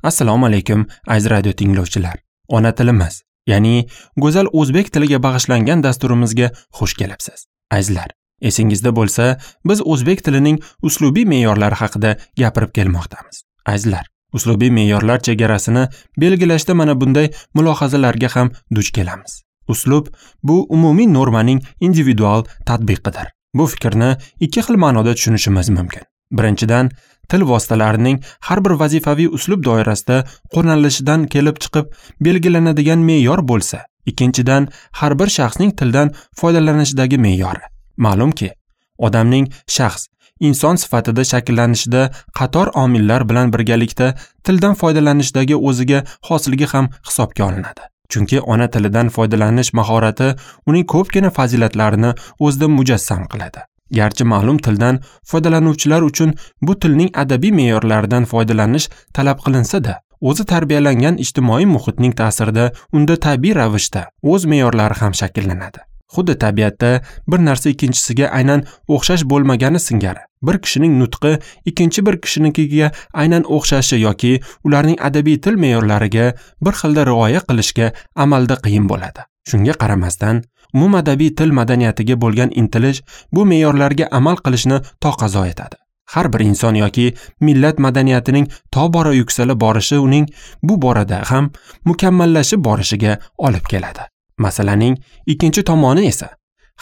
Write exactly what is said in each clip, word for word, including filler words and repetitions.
Assalomu alaykum aziz radio tinglovchilar. Ona tilimiz, ya'ni go'zal o'zbek tiliga bag'ishlangan dasturimizga xush kelibsiz. Azizlar, esingizda bo'lsa, biz o'zbek tilining uslubiy me'yorlari haqida gapirib kelmoqdamiz. Azizlar, uslubiy me'yorlar chegarasini belgilashda mana bunday mulohazalarga ham duch kelamiz. Uslub bu umumiy normaning individual tatbiqidir. Bu fikrni ikki xil ma'noda tushunishimiz mumkin. Birinchidan, til vositalarining har bir vazifaviy uslub doirasida qo'llanilishidan kelib chiqib belgilanadigan me'yor bo'lsa, ikkinchidan, har bir shaxsning tildan foydalanishidagi me'yori. Ma'lumki, odamning shaxs, inson sifatida shakllanishida qator omillar bilan birgalikda tildan foydalanishdagi o'ziga xosligi ham hisobga olinadi. Chunki ona tilidan foydalanish mahorati uning ko'pgina fazilatlarini o'zida mujassam qiladi. Garchi ma'lum tildan foydalanuvchilar uchun bu tilning adabiy me'yorlaridan foydalanish talab qilinsa-da, o'zi tarbiyalangan ijtimoiy muhitning ta'sirida unda tabiiy ravishda o'z me'yorlari ham shakllanadi. Xuddi tabiatda bir narsa ikkinchisiga aynan o'xshash bo'lmagani singari, bir kishining nutqi ikkinchi bir kishinikiga aynan o'xshashi yoki ularning adabiy til me'yorlariga bir xilda rioya qilishga amalda qiyin bo'ladi. Shunga qaramasdan, umumadabiy til madaniyatiga bo'lgan intilish bu me'yorlarga amal qilishni taqozo etadi. Har bir inson yoki millat madaniyatining tobora yuksalib borishi uning bu borada ham mukammallashib borishiga olib keladi. Masalaning ikkinchi tomoni esa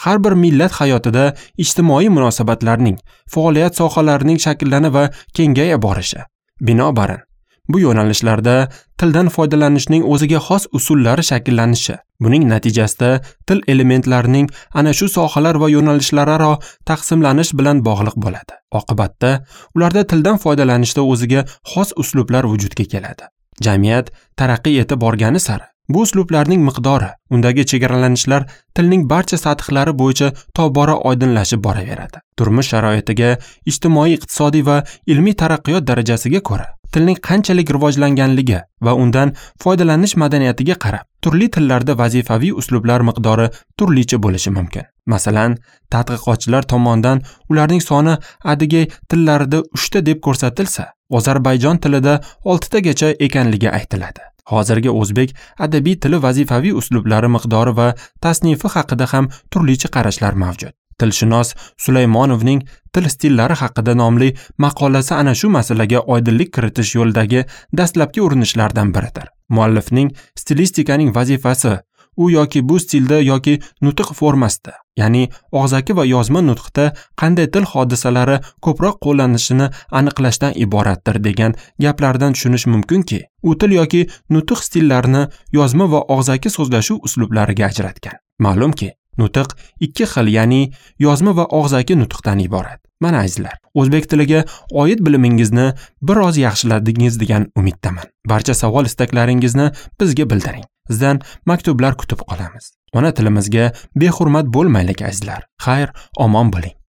har bir millat hayotida ijtimoiy munosabatlarning, faoliyat sohalarining shakllanib va kengaya borishi. Binobarin, bu yo'nalishlarda tildan foydalanishning o'ziga xos usullari shakllanishi, buning natijasida til elementlarining ana shu sohalar va yo'nalishlararo taqsimlanish bilan bog'liq bo'ladi. Oqibatda ularda tildan foydalanishda o'ziga xos uslublar vujudga keladi. Jamiyat taraqqiy etib borgani sari bu uslublarning miqdori, undagi chegaralanishlar tilning barcha sathlari bo'yicha tobora oydinlashib boraveradi. Turmush sharoitiga, ijtimoiy, iqtisodiy va ilmiy taraqqiyot darajasiga ko'ra tilning qanchalik rivojlanganligi va undan foydalanish madaniyatiga qarab turli tillarda vazifaviy uslublar miqdori turlicha bo'lishi mumkin. Masalan, tadqiqotchilar tomonidan ularning soni adigey tillarida uchta deb ko'rsatilsa, Ozarbayjon tilida oltitagacha ekanligi aytiladi. Hozirgi o'zbek adabiy tili vazifaviy uslublari miqdori va tasnifi haqida ham turlicha qarashlar mavjud. Tilshunos Sulaymonovning Til stillari haqida nomli maqolasi ana shu masalaga oydinlik kiritish yo'lidagi dastlabki urinishlardan biridir. Muallifning stilistikaning vazifasi u yoki bu stilda yoki nutq formasida, ya'ni og'zaki va yozma nutqda qanday til hodisalari ko'proq qo'llanishini aniqlashdan iboratdir degan gaplardan tushunish mumkinki, u til yoki nutq stillarini yozma va og'zaki so'zlashuv uslublariga ajratgan. Ma'lumki, nutq ikki xil, ya'ni yozma va og'zaki nutqdan iborat. Mana azizlar, o'zbek tiliga oid bilimingizni biroz yaxshiladingiz degan umiddaman. Barcha savol istaklaringizni bizga bildiring. Sizdan maktublar kutib qolamiz. Ona tilimizga behurmat bo'lmaylik azizlar. Xayr, omon bo'ling.